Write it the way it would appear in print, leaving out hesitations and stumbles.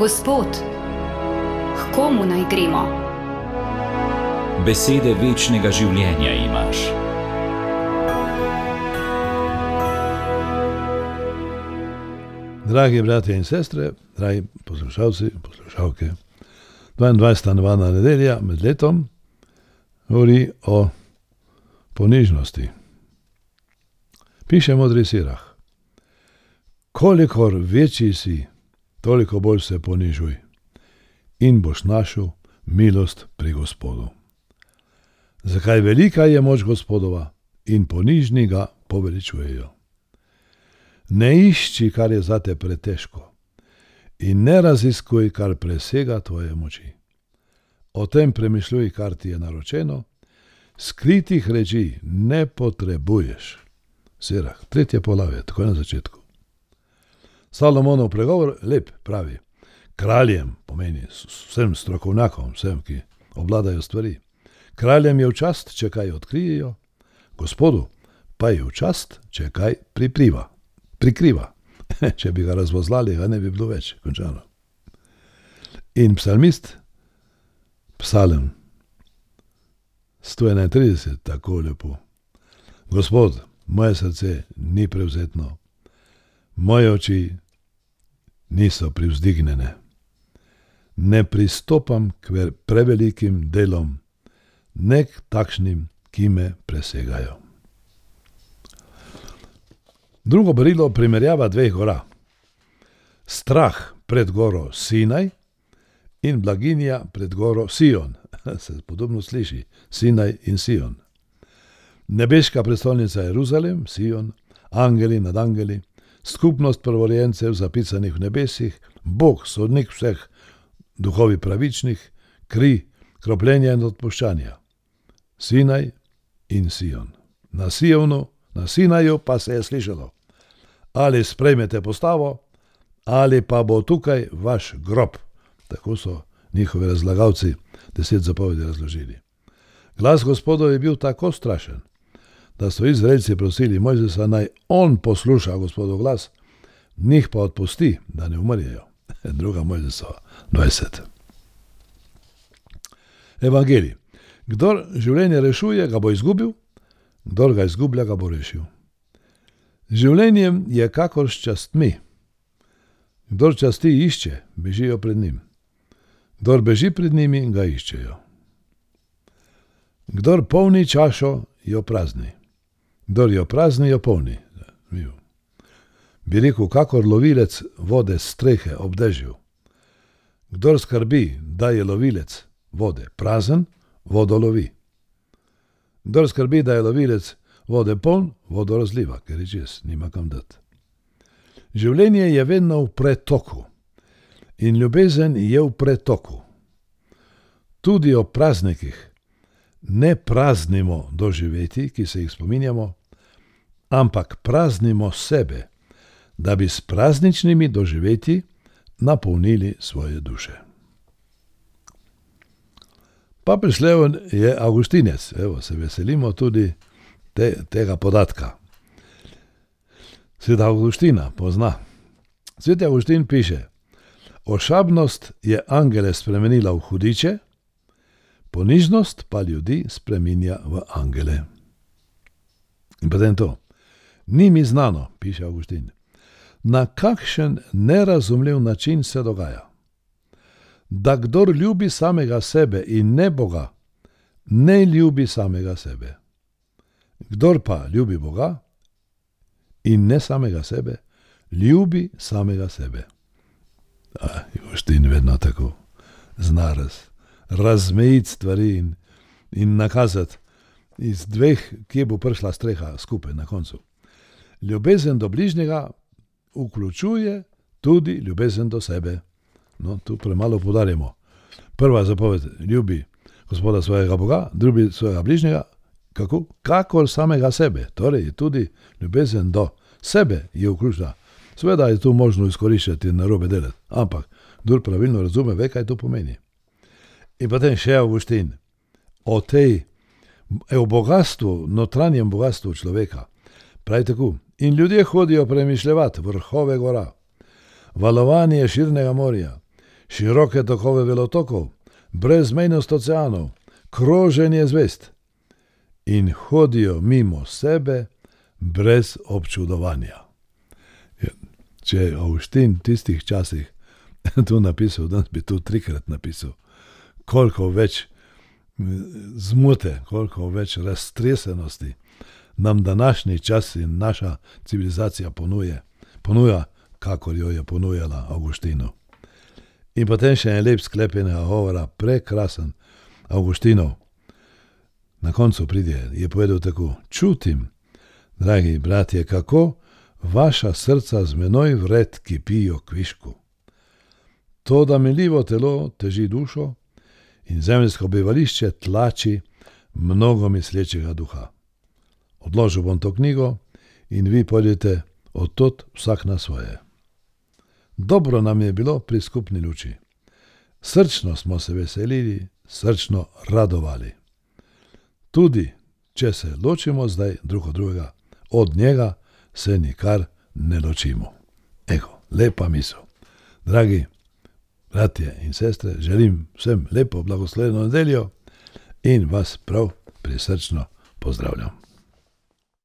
Gospod, k komu naj gremo? Besede večnega življenja imaš. Dragi bratje in sestre, dragi poslušalci in poslušalke, 22. nevarna nedelja med letom govori o ponižnosti. Piše modri Sirah: kolikor večji si, toliko bolj se ponižuj in boš našel milost pri Gospodu. Zakaj velika je moč Gospodova in ponižni ga poveličujejo. Ne išči, kar je zate pretežko, in ne raziskuj, kar presega tvoje moči. O tem premišljuj, kar ti je naročeno, skritih reči ne potrebuješ. Sirah, 3. poglavje, tako na začetku. Salomonov pregovor lep, pravi: kraljem, pomeni vsem strokovnjakom, vsem, ki obvladajo stvari, kraljem je v čast, če kaj odkrijejo, Gospodu pa je v čast, če kaj prikriva. Če bi ga razvozlali, ga ne bi bilo več, končano. In psalmist, psalm 131, tako lepo: Gospod, moje srce ni prevzetno, moje oči niso privzdignjene. Ne pristopam k prevelikim delom, ne k takšnim, ki me presegajo. Drugo berilo primerjava dveh gora. Strah pred goro Sinaj in blaginja pred goro Sion. Se podobno sliši, Sinaj in Sion. Nebeška prestolnica Jeruzalem, Sion, angeli nad angeli, skupnost prvorojencev zapisanih v nebesih, Bog, sodnik vseh, duhovi pravičnih, kri, kropljenja in odpuščanja. Sinaj in Sion. Na Sinaju pa se je slišalo: ali sprejmete postavo, ali pa bo tukaj vaš grob. Tako so njihovi razlagalci 10 zapovedi razložili. Glas Gospodov je bil tako strašen, da so Izraelci prosili Mojzesa, naj on posluša Gospodov glas, njih pa odpusti, da ne umrjejo. 2. Mojzesova 20. Evangelij: kdor življenje rešuje, ga bo izgubil, kdor ga izgublja, ga bo rešil. Življenjem je kakor s častmi. Kdor časti išče, bežijo pred njim. Kdor beži pred njimi, ga iščejo. Kdor polni čašo, jo prazni. Kdor jo prazni, jo polni. Bi rekel, kakor lovilec vode s strehe ob dežju. Kdor skrbi, da je lovilec vode prazen, vodo lovi. Kdor skrbi, da je lovilec vode poln, vodo razliva, ker je čez, nima kam dati. Življenje je vedno v pretoku in ljubezen je v pretoku. Tudi o praznikih ne praznimo doživetij, ki se jih spominjamo, ampak praznimo sebe, da bi s prazničnimi doživetji napolnili svoje duše. Papež Leon je Avgustinec, se veselimo tudi tega podatka. Sveta Avgustina pozna. Sveti Avgustin piše: ošabnost je angele spremenila v hudiče, ponižnost pa ljudi spreminja v angele. In potem to: ni mi znano, piše Avgustin, na kakšen nerazumljiv način se dogaja, da kdor ljubi samega sebe in ne Boga, ne ljubi samega sebe. Kdor pa ljubi Boga in ne samega sebe, ljubi samega sebe. Avgustin vedno tako zna razmejiti stvari in nakazati iz dveh, kje bo prišla streha skupaj na koncu. Ljubezen do bližnjega vključuje tudi ljubezen do sebe. No, tu premalo poudarjamo. Prva zapoved: ljubi Gospoda svojega Boga, drugi svojega bližnjega, kakor samega sebe. Torej tudi ljubezen do sebe je vključena. Seveda je tu možno izkoriščati in narobe delati, ampak kdor pravilno razume, ve, kaj to pomeni. In potem še Avgustin o bogatstvu, notranjem bogatstvu človeka. Pravi tako: in ljudje hodijo premišljevati vrhove gora, valovanje širnega morja, široke tokove velotokov, brezmejnost oceanov, kroženje zvezd in hodijo mimo sebe brez občudovanja. Če je Avguštin v tistih časih to napisal, danes bi to 3-krat napisal, koliko več zmote, koliko več raztresenosti nam današnji čas in naša civilizacija ponuja, kakor jo je ponujala Avguštinu. In potem še en lep sklep enega govora, prekrasen Avguštinov. Na koncu je povedal tako: čutim, dragi bratje, kako vaša srca z menoj vred kipijo kvišku. To, da miljivo telo teži dušo in zemeljsko bivališče tlači mnogo mislečega duha. Odložil bom to knjigo in vi pojdite odtot vsak na svoje. Dobro nam je bilo pri skupni luči. Srčno smo se veselili, srčno radovali. Tudi, če se ločimo zdaj drug od drugega, od njega se nikar ne ločimo. Lepa misel. Dragi bratje in sestre, želim vsem lepo blagoslovljeno nedeljo in vas prav prisrčno pozdravljam.